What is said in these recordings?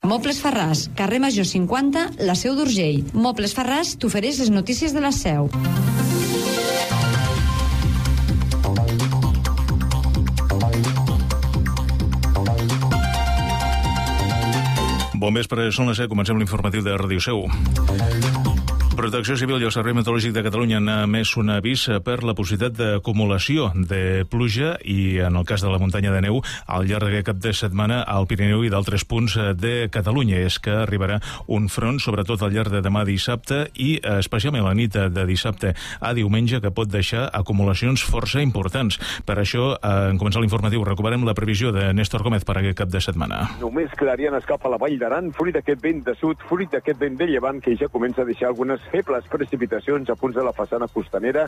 Mobles Ferràs, carrer Major 50, la Seu d'Urgell. Mobles Ferràs t'ofereix les notícies de la Seu. Bon vespre, són les 7, comencem l'informatiu de Ràdio Seu. Protecció Civil i el Servei Meteorològic de Catalunya han emès un avís per la possibilitat d'acumulació de pluja i, en el cas de la muntanya de neu, al llarg d'aquest cap de setmana al Pirineu i d'altres punts de Catalunya. És que arribarà un front, sobretot al llarg de demà dissabte i especialment la nit de dissabte a diumenge, que pot deixar acumulacions força importants. Per això, en començar l'informatiu, recuperem la previsió de Néstor Gómez per aquest cap de setmana. Només clarianes cap a la Vall d'Aran, fruit d'aquest vent de sud, fruit d'aquest vent de llevant, que ja comença a deixar algunes febles precipitacions a punts de la façana costanera,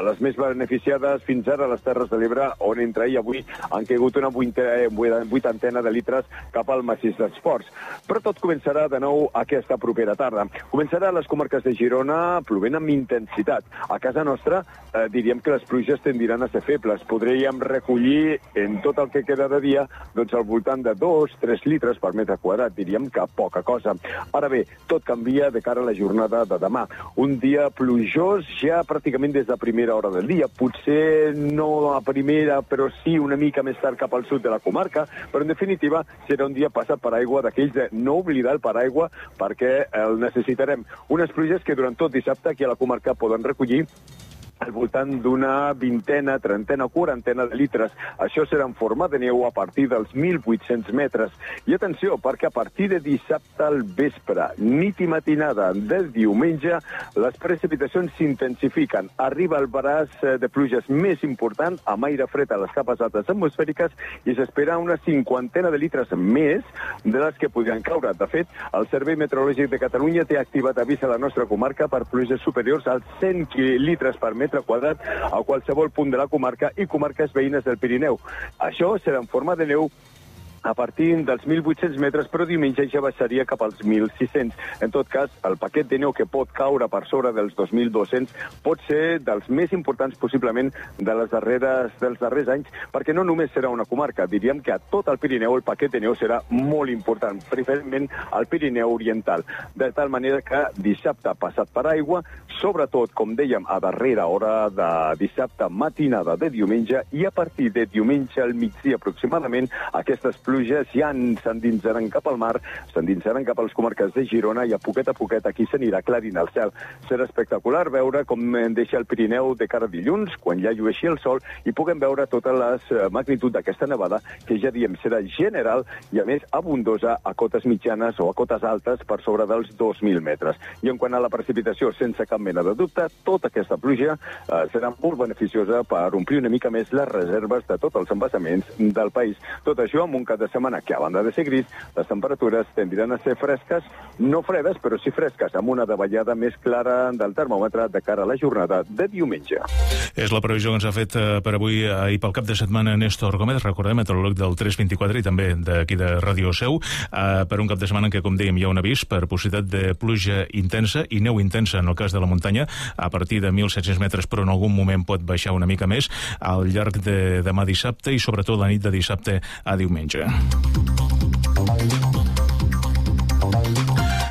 les més beneficiades fins ara a les Terres de l'Ebre, on entre ahir i avui han caigut una vuitantena de litres cap al massís dels Ports. Però tot començarà de nou aquesta propera tarda. Començarà a les comarques de Girona plovent amb intensitat. A casa nostra diríem que les pluges tendiran a ser febles. Podríem recollir en tot el que queda de dia al voltant de 2-3 litres per metre quadrat. Diríem que poca cosa. Ara bé, tot canvia de cara a la jornada de demà. Un dia plujós ja pràcticament des de primera hora del dia. Potser no a primera, però sí una mica més tard cap al sud de la comarca, però en definitiva serà un dia passat per aigua, d'aquells de no oblidar el paraigua, perquè el necessitarem. Unes pluges que durant tot dissabte aquí a la comarca poden recollir al voltant d'una vintena, trentena, quarantena de litres. Això serà en forma de neu a partir dels 1.800 metres. I atenció, perquè a partir de dissabte al vespre, nit i matinada del diumenge, les precipitacions s'intensifiquen. Arriba el braç de pluges més important, amb aire fred a les capes altes atmosfèriques, i s'espera una cinquantena de litres més de les que podrien caure. De fet, el Servei Meteorològic de Catalunya té activat avís a la nostra comarca per pluges superiors als 100 litres per metre quadrat a qualsevol punt de la comarca i comarques veïnes del Pirineu. Això serà en forma de neu a partir dels 1.800 metres, però diumenge ja baixaria cap als 1.600. En tot cas, el paquet de neu que pot caure per sobre dels 2.200 pot ser dels més importants possiblement dels darrers anys, perquè no només serà una comarca, diríem que a tot el Pirineu el paquet de neu serà molt important, preferentment al Pirineu Oriental. De tal manera que dissabte passat per aigua, sobretot, com dèiem, a darrera hora de dissabte matinada de diumenge, i a partir de diumenge al migdia aproximadament, aquestes pluges ja s'endinsaran cap al mar, s'endinsaran cap a les comarques de Girona, i a poquet aquí s'anirà aclarint el cel. Serà espectacular veure com deixa el Pirineu de cara a dilluns, quan ja llueixi el sol, i puguem veure tota la magnitud d'aquesta nevada, que ja diem serà general i a més abundosa a cotes mitjanes o a cotes altes per sobre dels 2.000 metres. I en quant a la precipitació, sense cap mena de dubte, tota aquesta pluja serà molt beneficiosa per omplir una mica més les reserves de tots els embassaments del país. Tot això amb un cap de setmana que, a banda de ser gris, les temperatures tendiran a ser fresques, no fredes, però sí fresques, amb una davallada més clara del termòmetre de cara a la jornada de diumenge. És la previsió que ens ha fet per avui i pel cap de setmana Néstor Gómez, recordem, meteoròleg del 324 i també d'aquí de Ràdio Seu, per un cap de setmana en què, com dèiem, hi ha un avís per possibilitat de pluja intensa i neu intensa en el cas de la muntanya, a partir de 1.700 metres, però en algun moment pot baixar una mica més al llarg de demà dissabte i sobretot la nit de dissabte a diumenge.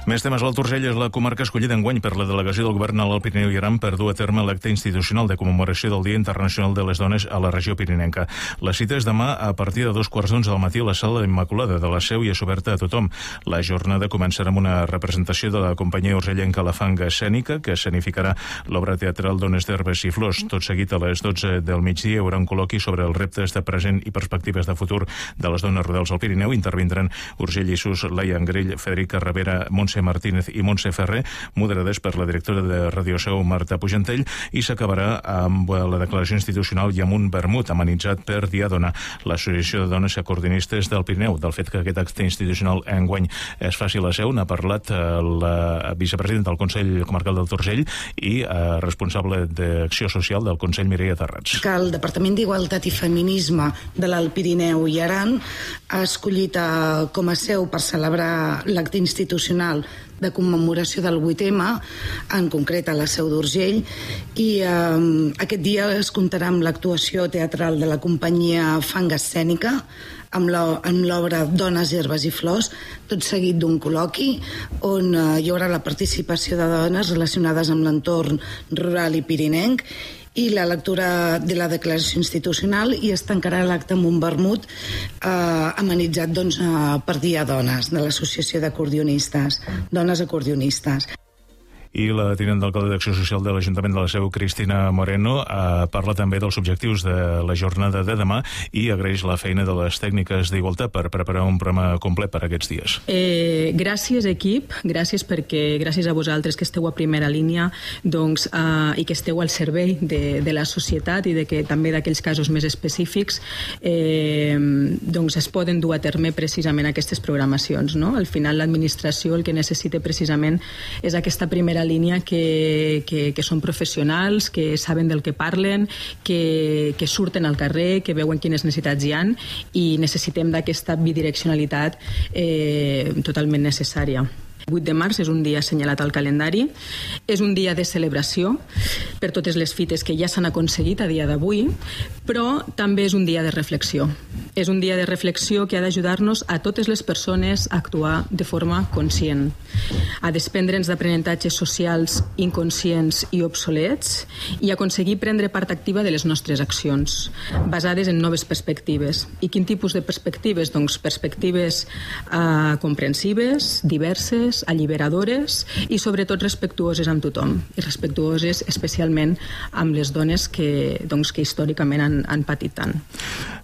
Més temes. L'Alt Urgell és la comarca escollida enguany per la delegació del govern a l'Alt Pirineu i Aran per dur a terme l'acte institucional de commemoració del Dia Internacional de les Dones a la regió pirinenca. La cita és demà a partir de 2:15 del matí a la Sala Immaculada de la Seu i és oberta a tothom. La jornada començarà amb una representació de la companyia urgellenca La Fanga Escènica, que escenificarà l'obra teatral Dones d'Herbes i Flors. Tot seguit, a les 12 del migdia, hi haurà un col·loqui sobre els reptes de present i perspectives de futur de les dones rurals al Pirineu. Intervindran Urgell i Sus, Laia Angrell, Federica Rivera, Montse Martínez i Montse Ferrer, moderades per la directora de Ràdio Seu, Marta Pujantell, i s'acabarà amb la declaració institucional i amb un vermut amenitzat per Diadona, l'Associació de Dones Acordinistes del Pirineu. Del fet que aquest acte institucional enguany es faci a la Seu n'ha parlat la vicepresidenta del Consell Comarcal del Urgell i responsable d'Acció Social del Consell, Mireia Tarrats. Que el Departament d'Igualtat i Feminisme de l'Alt Pirineu i Aran ha escollit com a seu per celebrar l'acte institucional de commemoració del 8M, en concret a la Seu d'Urgell, i aquest dia es comptarà amb l'actuació teatral de la companyia Fang Escènica, amb l'obra Dones, Herbes i Flors, tot seguit d'un col·loqui on hi haurà la participació de dones relacionades amb l'entorn rural i pirinenc i la lectura de la declaració institucional, i es tancarà l'acte amb un vermut amenitzat per Dia Dones, de l'Associació d'Acordionistes, Dones Acordionistes. I la tinent d'alcalde d'Acció Social de l'Ajuntament de la Seu, Cristina Moreno, parla també dels objectius de la jornada de demà i agraeix la feina de les tècniques d'Igualtat per preparar un programa complet per aquests dies. Gràcies, equip, gràcies a vosaltres que esteu a primera línia i que esteu al servei de la societat i que també d'aquells casos més específics es poden dur a terme precisament aquestes programacions. Al final l'administració el que necessita precisament és aquesta primera línia que són professionals, que saben del que parlen, que surten al carrer, que veuen quines necessitats hi ha, i necessitem d'aquesta bidireccionalitat totalment necessària. 8 de març és un dia assenyalat al calendari, és un dia de celebració per totes les fites que ja s'han aconseguit a dia d'avui, però també és un dia de reflexió. És un dia de reflexió que ha d'ajudar-nos a totes les persones a actuar de forma conscient, a desprendre'ns d'aprenentatges socials inconscients i obsolets i aconseguir prendre part activa de les nostres accions, basades en noves perspectives. I quin tipus de perspectives? Doncs perspectives comprensives, diverses, alliberadores i sobretot respectuoses amb tothom, i respectuoses especialment amb les dones que històricament han patit tant.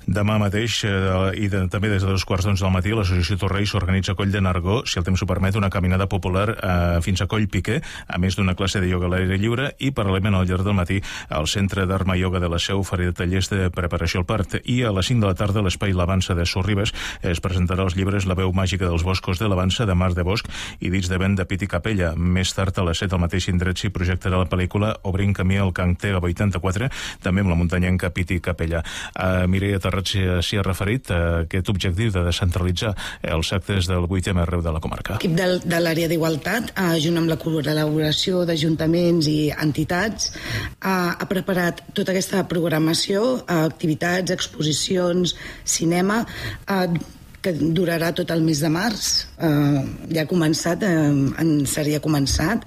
Demà mateix, i també des de 2:15 del matí, l'Associació Torrell s'organitza a Coll de Nargó, si el temps ho permet, una caminada popular fins a Coll Piquer, a més d'una classe de ioga a l'aire lliure, i paral·lelament al llarg del matí el Centre d'Arma Ioga de la Seu oferirà tallers de preparació al part, i a les 5 de la tarda a l'Espai L'Avança de Sorribes es presentarà els llibres La veu màgica dels boscos de l'Avança, de Mar de Bosch i Dits de vent de Piti Capella. Més tard, a les 7 al mateix indret s'hi projectarà la pel·lícula Obrint camí al Cantega 84, també amb la muntanyenca Piti Capella. Mireia Terrat s'hi ha referit a aquest objectiu de descentralitzar els actes del 8M arreu de la comarca. L'equip de l'àrea d'Igualtat, junt amb la col·laboració d'ajuntaments i entitats, ha preparat tota aquesta programació, activitats, exposicions, cinema, que durarà tot el mes de març. Ja ha començat, seria començat,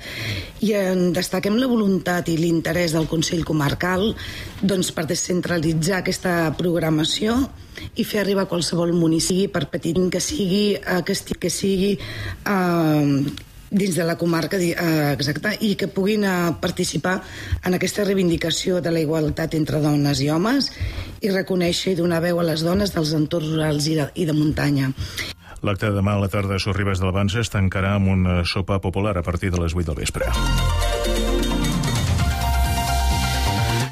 i destaquem la voluntat i l'interès del Consell Comarcal per descentralitzar aquesta programació i fer arribar a qualsevol municipi, per petit que sigui, dins de la comarca, exacte, i que puguin participar en aquesta reivindicació de la igualtat entre dones i homes i reconèixer i donar veu a les dones dels entorns rurals i de muntanya. L'acte de demà a la tarda a Sorribes de l'Avança es tancarà amb un sopar popular a partir de les 8 del vespre.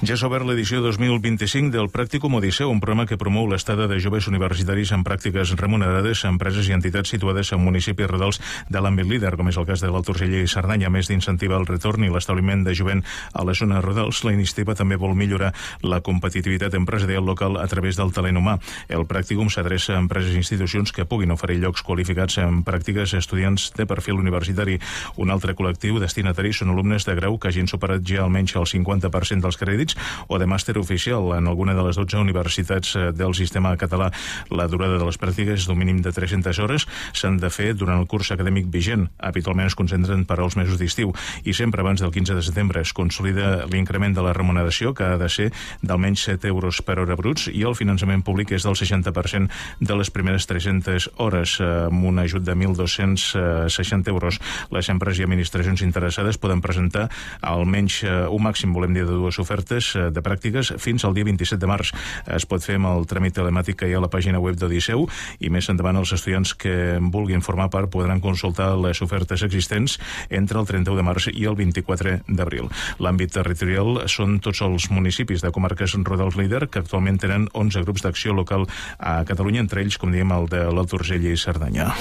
Ja s'ha obert l'edició 2025 del Pràcticum Odisseu, un programa que promou l'estada de joves universitaris en pràctiques remunerades a empreses i entitats situades en municipis rurals de l'àmbit líder, com és el cas de l'Alt Urgell i Cerdanya. A més d'incentivar el retorn i l'establiment de jovent a les zones rurals, la iniciativa també vol millorar la competitivitat empresarial local a través del talent humà. El Pràcticum s'adreça a empreses i institucions que puguin oferir llocs qualificats en pràctiques a estudiants de perfil universitari. Un altre col·lectiu destinatari són alumnes de grau que hagin superat ja almenys el 50% dels crèdits o de màster oficial en alguna de les 12 universitats del sistema català. La durada de les pràctiques és d'un mínim de 300 hores. S'han de fer durant el curs acadèmic vigent. Habitualment es concentren per als mesos d'estiu i sempre abans del 15 de setembre. Es consolida l'increment de la remuneració, que ha de ser d'almenys 7 euros per hora bruts, i el finançament públic és del 60% de les primeres 300 hores, amb un ajut de 1.260 euros. Les empreses i administracions interessades poden presentar almenys un màxim, volem dir, de 2 ofertes de pràctiques fins al dia 27 de març. Es pot fer amb el tràmit telemàtic que hi ha a la pàgina web d'Odisseu, i més endavant els estudiants que vulguin formar part podran consultar les ofertes existents entre el 31 de març i el 24 d'abril. L'àmbit territorial són tots els municipis de comarques rurals líder, que actualment tenen 11 grups d'acció local a Catalunya, entre ells, com diem, el de l'Alt Urgell i Cerdanya.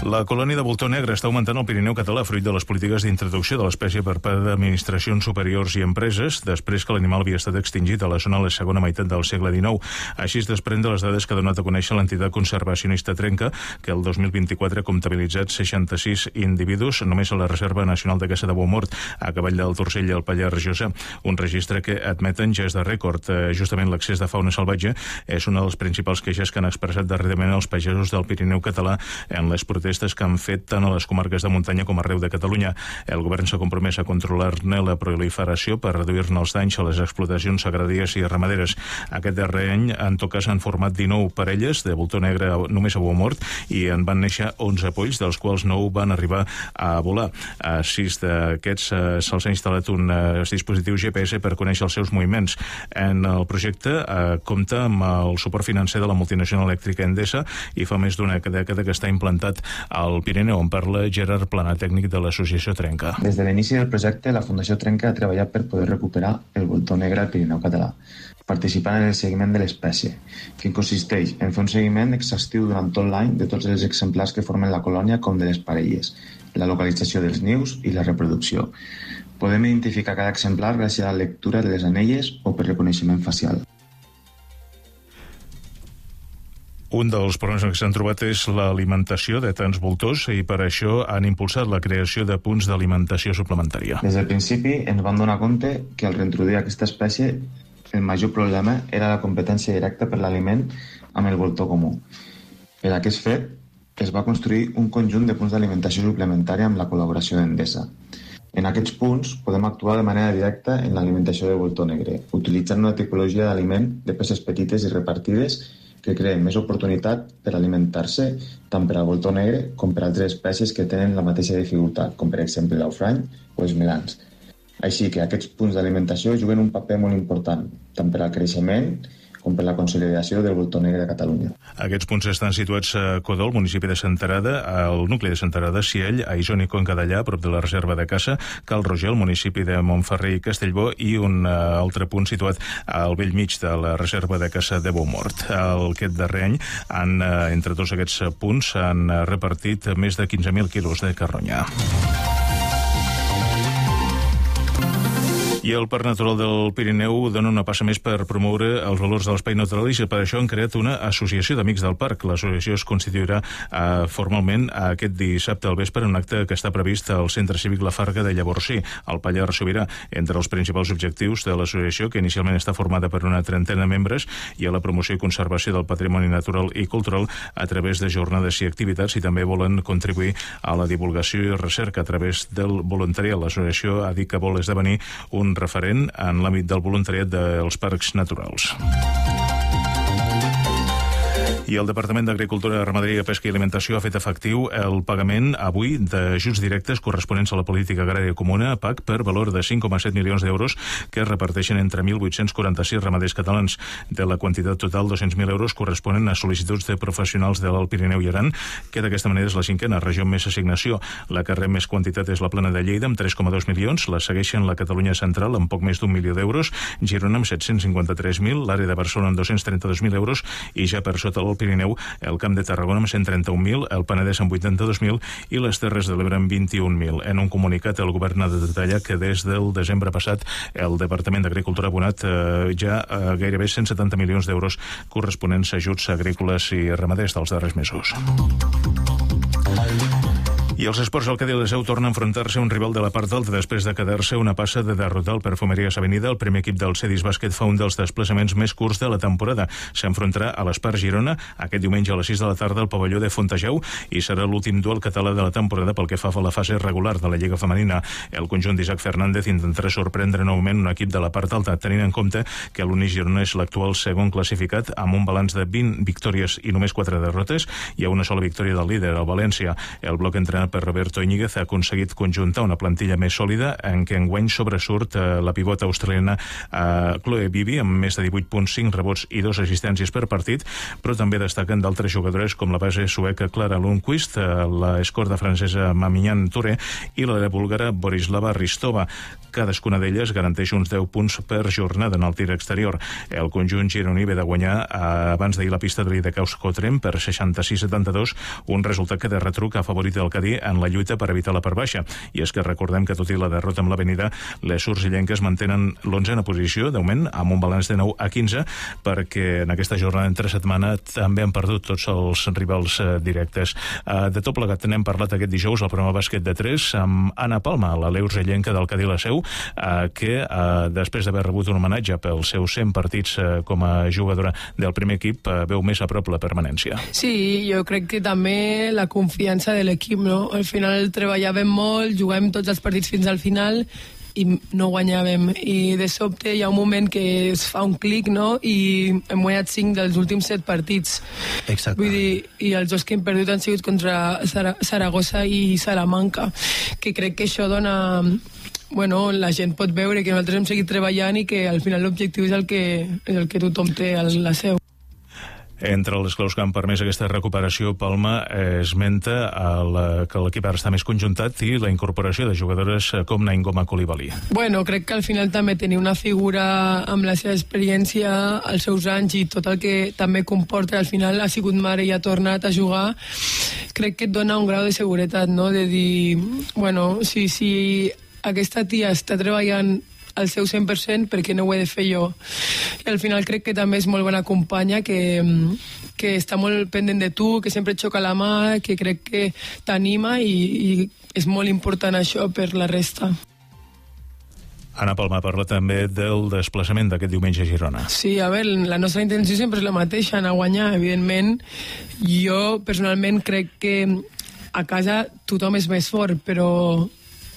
La colònia de voltor negre està augmentant al Pirineu català fruit de les polítiques d'introducció de l'espècie per part d'administracions superiors i empreses, després que l'animal havia estat extingit a la zona a la segona meitat del segle XIX. Així es desprèn de les dades que ha donat a conèixer l'entitat conservacionista Trenca, que el 2024 ha comptabilitzat 66 individus només a la Reserva Nacional de Caça de Beaumort, a cavall del Torcell i el Pallars Jussà, un registre que admeten ja és de rècord. Justament l'accés de fauna salvatge és una de les principals queixes que han expressat darrerament els pagesos del Pirineu català en les protestes que han fet tant a les comarques de muntanya com arreu de Catalunya. El govern s'ha compromès a controlar-ne la proliferació per reduir-ne els danys a les explotacions agràries i ramaderes. Aquest darrer any, en tot cas, han format 19 parelles de voltor negre només a Beaumort i en van néixer 11 polls, dels quals 9 van arribar a volar. A 6 d'aquests se'ls ha instal·lat un dispositiu GPS per conèixer els seus moviments. En el projecte compta amb el suport financer de la multinacional elèctrica Endesa i fa més d'una dècada que està implantat al Pirineu, on parla Gerard Plana, tècnic de l'associació Trenca. Des de l'inici del projecte, la Fundació Trenca ha treballat per poder recuperar el voltor negre al Pirineu català, participant en el seguiment de l'espècie, que consisteix en fer un seguiment exhaustiu durant tot l'any de tots els exemplars que formen la colònia com de les parelles, la localització dels nius i la reproducció. Podem identificar cada exemplar gràcies a la lectura de les anelles o per reconeixement facial. Un dels problemes que s'han trobat és l'alimentació de tants voltors i per això han impulsat la creació de punts d'alimentació suplementària. Des del principi ens vam donar compte que al reintroduir aquesta espècie el major problema era la competència directa per l'aliment amb el voltor comú. Per aquest fet es va construir un conjunt de punts d'alimentació suplementària amb la col·laboració d'Endesa. En aquests punts podem actuar de manera directa en l'alimentació del voltor negre, utilitzant una tipologia d'aliment de peces petites i repartides que creen més oportunitat per alimentar-se tant per al voltor negre com per altres espècies que tenen la mateixa dificultat, com per exemple l'aufrany o els melans. Així que aquests punts d'alimentació juguen un paper molt important, tant per al creixement com per la consolidació del voltor negre de Catalunya. Aquests punts estan situats a Codó, al municipi de Senterada, al nucli de Senterada, Siell, a Isoni i Conca-Dellà, a prop de la reserva de caça, Cal Roger, al municipi de Montferrer i Castellbó, i un altre punt situat al vell mig de la reserva de caça de Beaumort. Aquest darrer any, entre tots aquests punts, han repartit més de 15.000 quilos de carronya. I el Parc Natural del Pirineu dona una passa més per promoure els valors de l'espai natural i per això han creat una associació d'amics del parc. L'associació es constituirà formalment aquest dissabte al vespre en un acte que està previst al Centre Cívic La Farga de Llavorsí, al Pallars Sobirà. Entre els principals objectius de l'associació, que inicialment està formada per una trentena de membres, hi ha la promoció i conservació del patrimoni natural i cultural a través de jornades i activitats, i també volen contribuir a la divulgació i recerca a través del voluntariat. L'associació ha dit que vol esdevenir un referent en l'àmbit del voluntariat dels parcs naturals. I el Departament d'Agricultura, Ramaderia, Pesca i Alimentació ha fet efectiu el pagament avui d'ajuts directes corresponents a la política agrària comuna, PAC, per valor de 5,7 milions d'euros que es reparteixen entre 1.846 ramaders catalans. De la quantitat total, 200.000 euros corresponen a sol·licituds de professionals de l'Alt Pirineu i Aran, que d'aquesta manera és la cinquena regió amb més assignació. La que rep més quantitat és la Plana de Lleida, amb 3,2 milions, la segueixen la Catalunya Central, amb poc més d'1 milió d'euros, Girona amb 753.000, l'àrea de Barcelona amb 232.000 euros, i ja per sota el Pirineu, el Camp de Tarragona amb 131.000, el Penedès amb 82.000 i les Terres de l'Ebre amb 21.000. En un comunicat, el govern ha de detallar que des del desembre passat el Departament d'Agricultura ha abonat ja gairebé 170 milions d'euros corresponents a ajuts agrícoles i ramaders dels darrers mesos. I els esports, el Cadí Leseu torna a enfrontar-se a un rival de la part alta després de quedar-se una passa de derrotar el Perfumeries Avenida. El primer equip del Cedis Bàsquet fa un dels desplaçaments més curts de la temporada. S'enfrontarà a l'Espar Girona aquest diumenge a les 6 de la tarda al pavelló de Fontejau i serà l'últim duel català de la temporada pel que fa a la fase regular de la Lliga Femenina. El conjunt d'Isaac Fernández intentarà sorprendre novament un equip de la part alta, tenint en compte que l'Uni Girona és l'actual segon classificat amb un balanç de 20 victòries i només 4 derrotes. Hi ha una sola victòria del líder, el València. El bloc entrenat entrenat per Roberto Íñiguez, ha aconseguit conjuntar una plantilla més sòlida en què enguany sobresurt la pivota australiana Chloe Bibi amb més de 18.5 rebots i 2 assistències per partit, però també destaquen d'altres jugadores com la base sueca Clara Lundqvist, la escorta francesa Mamignan Touré i la búlgara Borislava Ristova. Cadascuna d'elles garanteix uns 10 punts per jornada en el tir exterior. El conjunt gironí ve de guanyar abans d'ahir la pista de l'Idacaus-Cotrem per 66-72, un resultat que de retruc ha favorit el Cadí en la lluita per evitar la part baixa. I és que recordem que tot i la derrota amb l'Avenida, les urgellenques mantenen l'11a posició, d'augment, amb un balanç de 9-15, perquè en aquesta jornada entre setmana també han perdut tots els rivals directes. De tot plegat n'hem parlat aquest dijous al programa Bàsquet de 3 amb Anna Palma, la urgellenca del Cadí la Seu, que després d'haver rebut un homenatge pels seus 100 partits com a jugadora del primer equip, veu més a prop la permanència. Sí, jo crec que també la confiança de l'equip, no? Al final treballàvem molt, jugàvem tots els partits fins al final i no guanyàvem, i de sobte hi ha un moment que es fa un clic, no? I hem guanyat 5 dels últims 7 partits. Exacte. Vull dir, i els dos que hem perdut han sigut contra Saragossa i Salamanca, que crec que això dona... Bueno, la gent pot veure que nosaltres hem seguit treballant i que al final l'objectiu és el que tothom té a la Seu. Entre les claus que han permès aquesta recuperació, Palma esmenta que l'equip ara està més conjuntat i la incorporació de jugadores com Naingoma Coulibaly. Bueno, crec que al final també tenir una figura amb la seva experiència, els seus anys i tot el que també comporta, al final ha sigut mare i ha tornat a jugar, crec que et dona un grau de seguretat, no? De dir, bueno, si aquesta tia està treballant al seu 100%, perquè no ho he de fer jo. I al final crec que també és molt bona companya, que està molt pendent de tu, que sempre et xoca la mà, que crec que t'anima i és molt important això per la resta. Anna Palma parla també del desplaçament d'aquest diumenge a Girona. Sí, a veure, la nostra intenció sempre és la mateixa, anar a guanyar. Evidentment, jo personalment crec que a casa tothom és més fort, però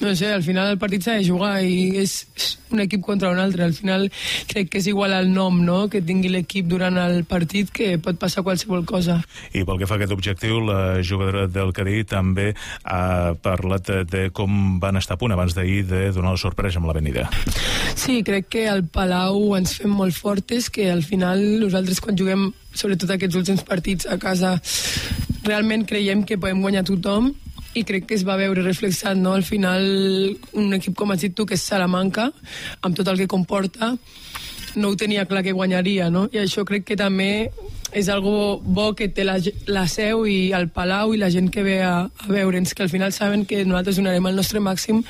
no sé, al final el partit s'ha de jugar i és un equip contra un altre. Al final crec que és igual al nom, no?, que tingui l'equip durant el partit, que pot passar qualsevol cosa. I pel que fa a aquest objectiu, la jugadora del Cadí també ha parlat de com van estar a punt abans d'ahir de donar la sorpresa amb l'Avenida. Sí, crec que al Palau ens fem molt fortes, que al final nosaltres quan juguem, sobretot aquests últims partits a casa, realment creiem que podem guanyar tothom, i crec que es va veure reflexat, no? Al final, un equip com has dit tu, que és Salamanca, amb tot el que comporta, no ho tenia clar que guanyaria, no? I això crec que també és algo bo que té la Seu i el Palau i la gent que ve a veure'ns, que al final saben que nosaltres donarem el nostre màxim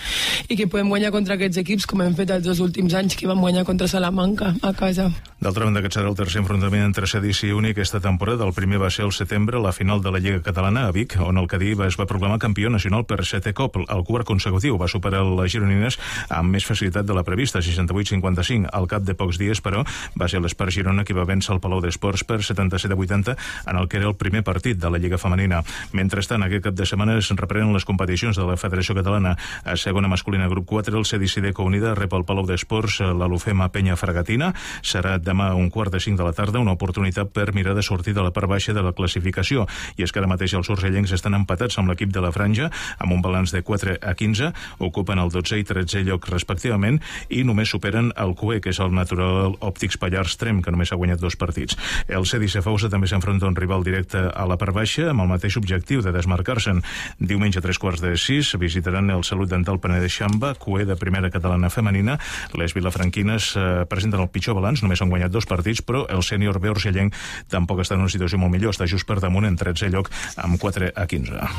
i que podem guanyar contra aquests equips, com hem fet els 2 últims anys, que vam guanyar contra Salamanca a casa. D'altra banda, aquest serà el tercer enfrontament entre Cedis i Uni aquesta temporada. El primer va ser al setembre, la final de la Lliga Catalana a Vic, on el Cadí es va proclamar campió nacional per 7è cop. El quart consecutiu va superar les gironines amb més facilitat de la prevista, 68-55. Al cap de pocs dies, però, va ser l'Espart Girona qui va vèncer el Palau d'Esports per 77-80 en el que era el primer partit de la Lliga Femenina. Mentrestant, aquest cap de setmana es reprenen les competicions de la Federació Catalana. A segona masculina, grup 4, el Cedis Ideco Unida rep el Palau d'Esports l'Alufema Penya Fragatina. Serà demà a 4:45 de la tarda, una oportunitat per mirar de sortir de la part baixa de la classificació. I és que ara mateix els urgellencs estan empatats amb l'equip de la Franja, amb un balanç de 4-15, ocupen el 12è i 13è lloc respectivament, i només superen el CUE, que és el Natural Òptics Pallars Trem, que només ha guanyat 2 partits. El Cedis Safausa també s'enfronta a un rival directe a la part baixa, amb el mateix objectiu de desmarcar-se'n. Diumenge a 3:45 visitaran el Salut Dental Penedès Xamba, CUE de primera catalana femenina. Les vilafranquines presenten el pitjor balanç, només han guanyat 2 partits, però el sènior B urgellenc tampoc està en una situació molt millor, està just per damunt en 13è lloc amb 4-15.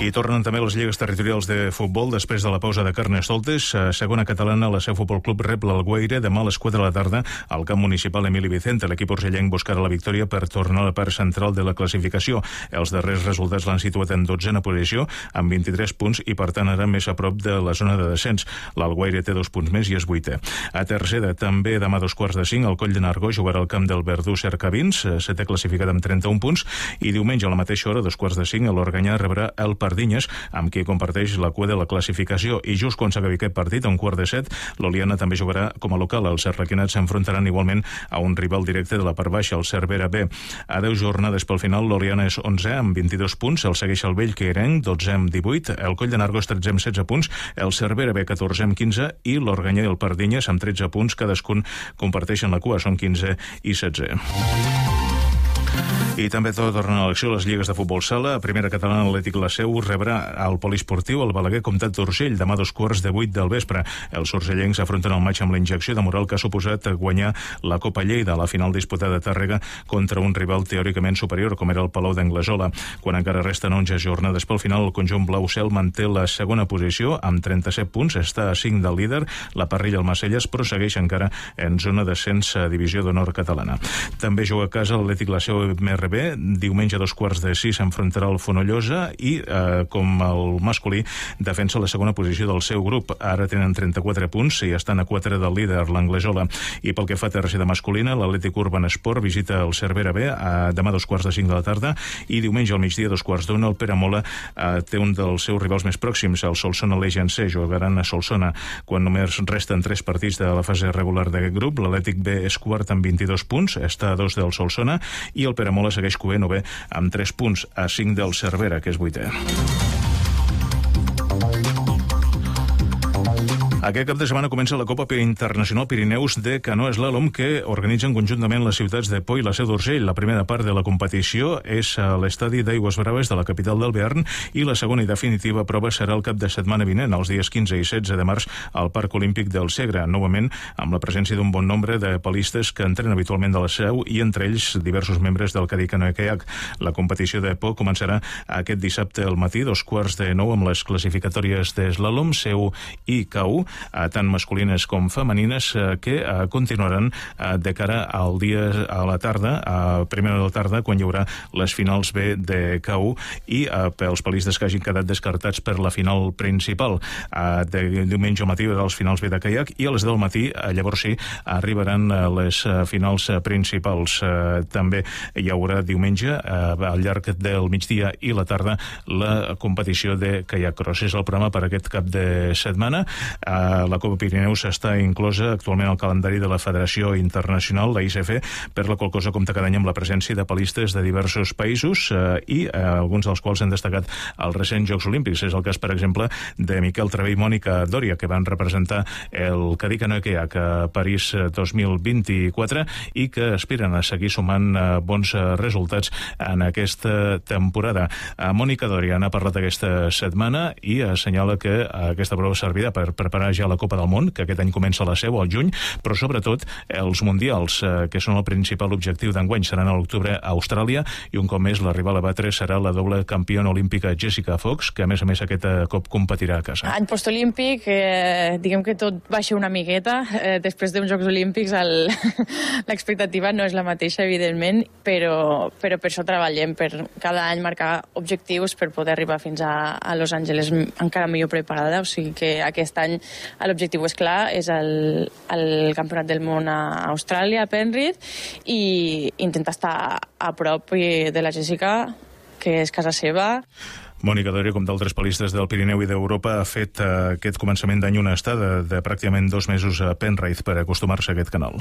I tornen també les lligues territorials de futbol després de la pausa de Carnestoltes. Segona catalana, la Seu Futbol Club rep l'Alguaire demà a les 4 de la tarda al camp municipal Emili Vicente. L'equip urgellenc buscarà la victòria per tornar a la part central de la classificació. Els darrers resultats l'han situat en 12a posició amb 23 punts i per tant ara més a prop de la zona de descens. L'Alguaire té 2 punts més i és 8è. A tercera, també demà a 2:45, el Coll de Nargó jugarà al camp del Verdú Cercavins, 7è classificat amb 31 punts, i diumenge a la mateixa hora, a 2:45, l'Organyà rebrà el Partit Pardinyes, amb qui comparteix la cua de la classificació. I just quan s'acabi aquest partit, a 6:45, l'Oliana també jugarà com a local. Els arlequinats s'enfrontaran igualment a un rival directe de la part baixa, el Cervera B. A 10 jornades pel final, l'Oliana és 11 amb 22 punts, el segueix el Bell Queirenc, 12 amb 18, el Coll de Nargó és 13 amb 16 punts, el Cervera B 14 amb 15 i l'Organyà i el Pardinyes amb 13 punts, cadascun comparteixen la cua, són 15 i 16. I també tornen a l'acció les lligues de futbol sala. A primera catalana, l'Atlètic La Seu rebrà al poliesportiu el Balaguer Comtat d'Urgell demà a 2:15 del vespre. Els urgellencs afronten el maig amb la injecció de moral que ha suposat guanyar la Copa Lleida, la final disputada a Tàrrega contra un rival teòricament superior com era el Palau d'Anglesola. Quan encara resten 11 jornades pel final, el conjunt blau cel manté la segona posició amb 37 punts, està a 5 del líder, la Parrilla el Macelles, però segueix encara en zona d'ascens a Divisió d'Honor catalana. També juga a casa l'Atlètic La Seu MRB. Diumenge a 5:45 s'enfrontarà el Fonollosa i, com el masculí, defensa la segona posició del seu grup. Ara tenen 34 punts i estan a 4 del líder, l'Anglesola. I pel que fa a tercera masculina, l'Atlètic Urban Esport visita el Cervera B demà a 2:45 de la tarda i diumenge al migdia a 2:15 el Peramola té un dels seus rivals més pròxims, el Solsona Legend C. Jugaran a Solsona quan només resten 3 partits de la fase regular d'aquest grup. L'Atlètic B és quart amb 22 punts, està a 2 del Solsona, i el Peramola segueix coent o bé amb 3 punts, a 5 del Cervera, que és 8è. Aquest cap de setmana comença la Copa Internacional Pirineus de Canoa Slalom, que organitzen conjuntament les ciutats de Pau i la Seu d'Urgell. La primera part de la competició és a l'estadi d'Aigües Braves de la capital del Bearn i la segona i definitiva prova serà el cap de setmana vinent, els dies 15 i 16 de març, al Parc Olímpic del Segre, novament amb la presència d'un bon nombre de palistes que entrenen habitualment de la Seu i entre ells diversos membres del Cadí Canoa Kayak. La competició de Pau començarà aquest dissabte al matí, 8:45, amb les classificatòries de slalom, Seu i KU, tant masculines com femenines, que continuaran de cara al dia a la tarda, a primera de la tarda, quan hi haurà les finals B de KU i pels palistes que hagin quedat descartats per la final principal. De diumenge al matí hi haurà les finals B de kayak i a les 10 del matí, llavors sí, arribaran les finals principals. També hi haurà diumenge, al llarg del migdia i la tarda, la competició de kayak cross. És el programa per aquest cap de setmana. La Copa Pirineus està inclosa actualment al calendari de la Federació Internacional, la ICF, per la qual cosa compta cada any amb la presència de palistes de diversos països i alguns dels quals han destacat els recents Jocs Olímpics. És el cas, per exemple, de Miquel Travé i Mònica Dòria, que van representar el Cadí Canoa Kayak a París 2024 i que aspiren a seguir sumant bons resultats en aquesta temporada. Mònica Dòria n'ha parlat aquesta setmana i assenyala que aquesta prova servirà per preparar ja la Copa del Món, que aquest any comença a la Seu, al juny, però sobretot els Mundials, que són el principal objectiu d'enguany, seran a l'octubre a Austràlia, i un cop més la rival a batre serà la doble campiona olímpica Jessica Fox, que a més aquest cop competirà a casa. Any postolímpic, diguem que tot baixa una miqueta, després d'uns Jocs Olímpics l'expectativa no és la mateixa, evidentment, però per això treballem, per cada any marcar objectius per poder arribar fins a Los Angeles encara millor preparada, o sigui que aquest any l'objectiu és clar, és el Campionat del Món a Austràlia, a Penrith, i intentar estar a prop de la Jessica, que és casa seva. Mònica Dòria, com d'altres palistes del Pirineu i d'Europa, ha fet aquest començament d'any una estada de pràcticament 2 mesos a Penrith per acostumar-se a aquest canal.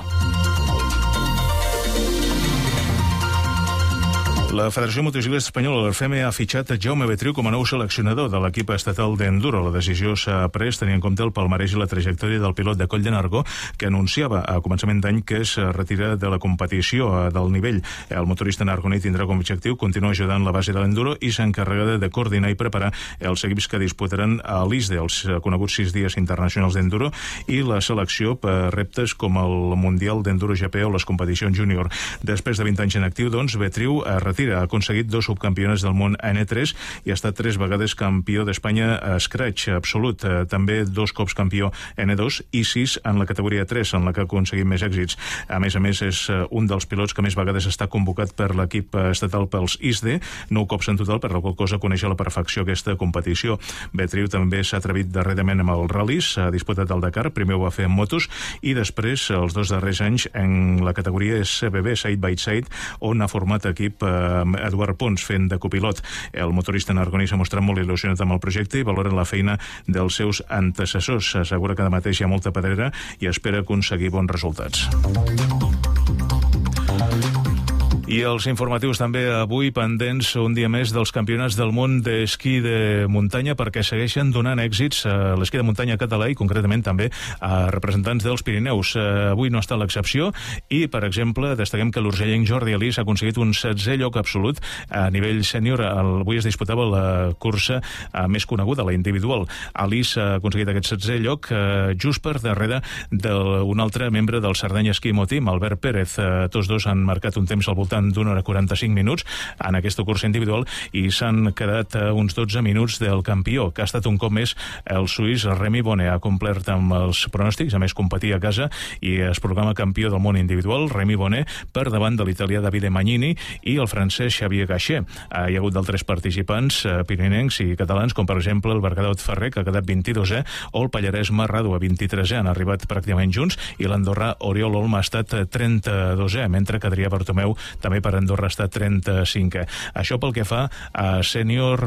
La Federació Motociclista Espanyola, l'FEME, ha fitxat Jaume Betriu com a nou seleccionador de l'equip estatal d'Enduro. La decisió s'ha pres tenint en compte el palmarès i la trajectòria del pilot de Coll de Nargó, que anunciava a començament d'any que es retira de la competició del nivell. El motorista nargoní tindrà com a objectiu continuar ajudant la base de l'Enduro i s'encarregarà de coordinar i preparar els equips que disputaran a l'ISDE, els coneguts 6 dies internacionals d'Enduro, i la selecció per reptes com el Mundial d'Enduro GP o les competicions júnior. Després de 20 anys en actiu, doncs, Betriu ha aconseguit 2 subcampionats del món N3 i ha estat 3 vegades campió d'Espanya a Scratch absolut, també 2 cops campió N2 i 6 en la categoria 3, en la que ha aconseguit més èxits. A més, és un dels pilots que més vegades està convocat per l'equip estatal pels ISDE, 9 cops en total, per la qual cosa coneix a la perfecció aquesta competició. Betriu també s'ha atrevit darrerament amb els ral·lis, ha disputat el Dakar, primer ho va fer en motos i després, els 2 darrers anys, en la categoria CBB, Side by Side, on ha format equip Eduard Pons fent de copilot. El motorista nargoní s'ha mostrat molt il·lusionat amb el projecte i valora la feina dels seus antecessors. S'assegura que de mateix hi ha molta pedrera i espera aconseguir bons resultats. I els informatius també avui pendents un dia més dels campionats del món d'esquí de muntanya, perquè segueixen donant èxits a l'esquí de muntanya català i concretament també a representants dels Pirineus. Avui no ha estat l'excepció i, per exemple, destaquem que l'urgellenc Jordi Alís ha aconseguit un 16è lloc absolut a nivell sènior. Avui es disputava la cursa més coneguda, la individual. Alís ha aconseguit aquest 16è lloc just per darrere d'un altre membre del Cerdanya Esquí Team, Albert Pérez. Tots dos han marcat un temps al voltant d'una hora 45 minuts en aquesta cursa individual i s'han quedat uns 12 minuts del campió, que ha estat un cop més el suís Remy Bonnet. Ha complert amb els pronòstics, a més competir a casa i es proclama campió del món individual. Remy Bonnet per davant de l'italià Davide Magnini i el francès Xavier Gachet. Hi ha hagut d'altres participants pirinencs i catalans, com per exemple el Bergadot Ferrer, que ha quedat 22è, o el pallarès Marrado a 23è. Han arribat pràcticament junts i l'andorrà Oriol Olma ha estat 32è, mentre que Adrià Bartomeu també per Andorra està 35è. Això pel que fa a sènior